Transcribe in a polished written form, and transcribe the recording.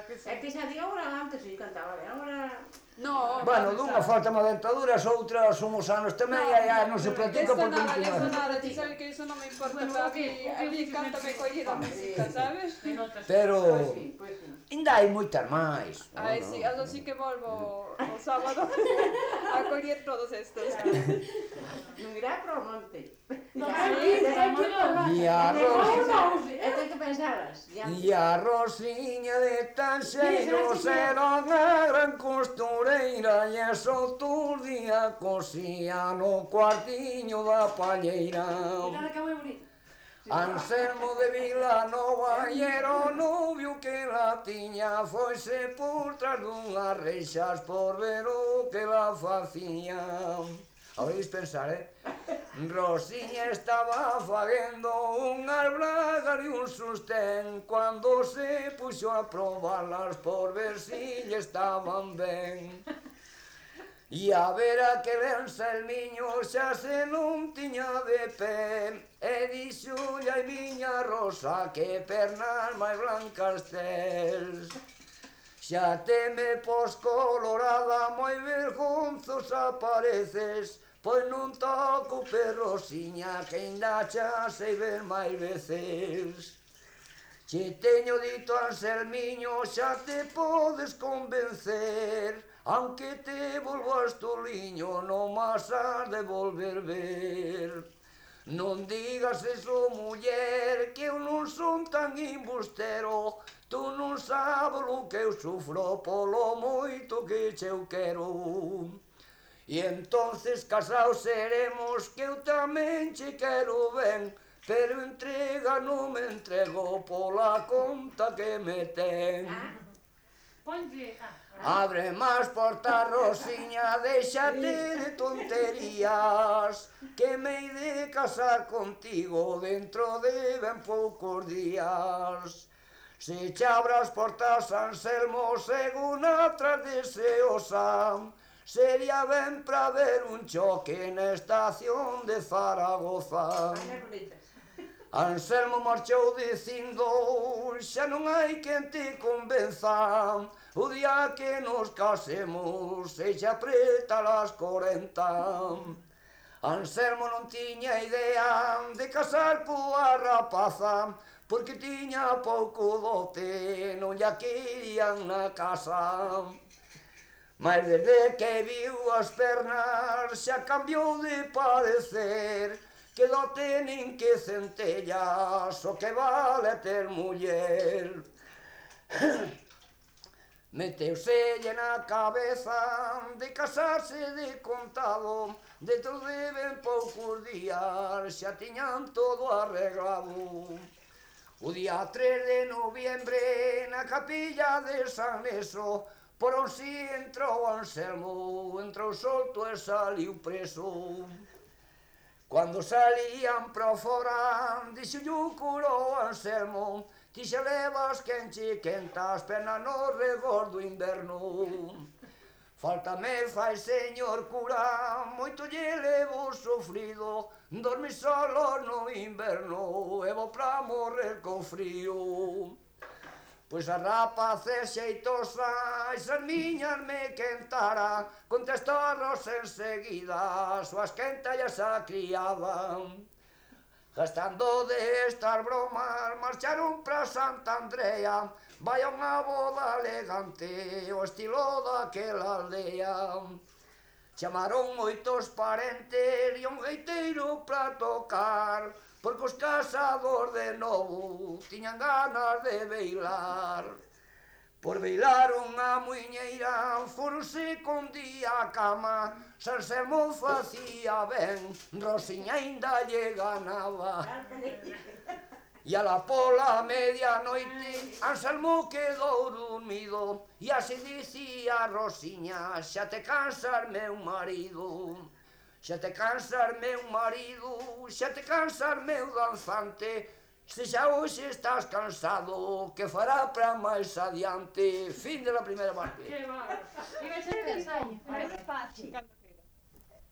que sí. É que xa digo, agora antes si cantaba ben, agora... No, Bueno, dunha falta má dentaduras, outras uns anos tamén, e non se Eso practica porque nada, non eso tiña. nada, ti sabes que eso non me importa, a mí cántame coller a música, sabes? Pero Pois sí. ainda hai moitas máis. Ai, sí, algo sí que volvo o sábado a coller todos estos. Non irá pro monte. E a Rosiña, E ten que pensaras. e a Rosiña de Tanxeiros era unha gran costureira e es outro día cosía no cuartiño da palleira. Anselmo de Vilanova e era o novio que la tiña, foise por tras dunhas reixas por ver o que la facía. Oís pensar, Rosiña estaba faguendo unhas bragas e un sostén cando se puxo a probarlas por ver si lle estaban ben. E a ver aquel Anselmiño xa se non tiña de pé, e dixolle ai miña Rosa que pernas máis blancas tes. Xa te me pos colorada, moi vergonzosa pareces, pois non toco Rosiña que ainda xa sei ver máis veces. Che teño dito Anselmiño, xa te podes convencer, aunque te volvas toliño, non mas has de volver ver. Non digas eso, muller, que eu non son tan embustero, tú non sabes o que eu sufro polo moito que che eu quero. E entonces casaos seremos, que eu tamén che quero ben, pero entrega non me entrego pola conta que me ten. Abre máis portas, Rosiña, déxate de tonterías, que me hei de casar contigo dentro de ben poucos días. Se che abras portas, Anselmo, segunda tras deseosa, sería ben pra ver un choque na estación de Zaragoza. Anselmo marchou dicindo, xa non hai quen te convenza, o día que nos casemos se xa apreta las 40. Anselmo non tiña idea de casar coa rapaza, porque tiña pouco dote, non lla querían na casa. Mas desde que viu as pernas xa cambiou de parecer, que dote nin que centellas, o que vale ter muller. Meteuselle na cabeza de casarse de contado, dentro de ben poucos días xa tiñan todo arreglado. O día 3 de noviembre na capilla de San Neso, por onsi entrou Anselmo, entrou solto e saliu preso. Cando salían pro fora, dixolle o curo Anselmo, ti xa levas quen che quenta as pernas no rigor do inverno. Falta me fai, señor cura, moito lle levo sofrido, dormi solo no inverno e vou pra morrer con frío. Pois a rapaz xeitosa, esas miñas me quentara, contestou a Rosa enseguida, súas quentallas a criaban. Gastando de estas bromas, marcharon pra Santa Andrea, vai a unha boda elegante, o estilo daquela aldea. Chamaron moitos parentes e un gaiteiro pra tocar, porque os casados de novo tiñan ganas de bailar. Por bailar unha muiñeira, foronse con día a cama, Anselmo facía ben, Rosiña ainda lle ganaba. E ala pola medianoite, Anselmo quedou dormido, e así dicía Rosiña, xa te cansas, meu marido. Xa te cansas, meu marido, xa te cansas, meu danzante, se xa hoxe estás cansado, que fará para máis adiante. Fin de la primeira parte. Que bárbaro. Iba a ser ensayo, parece fácil.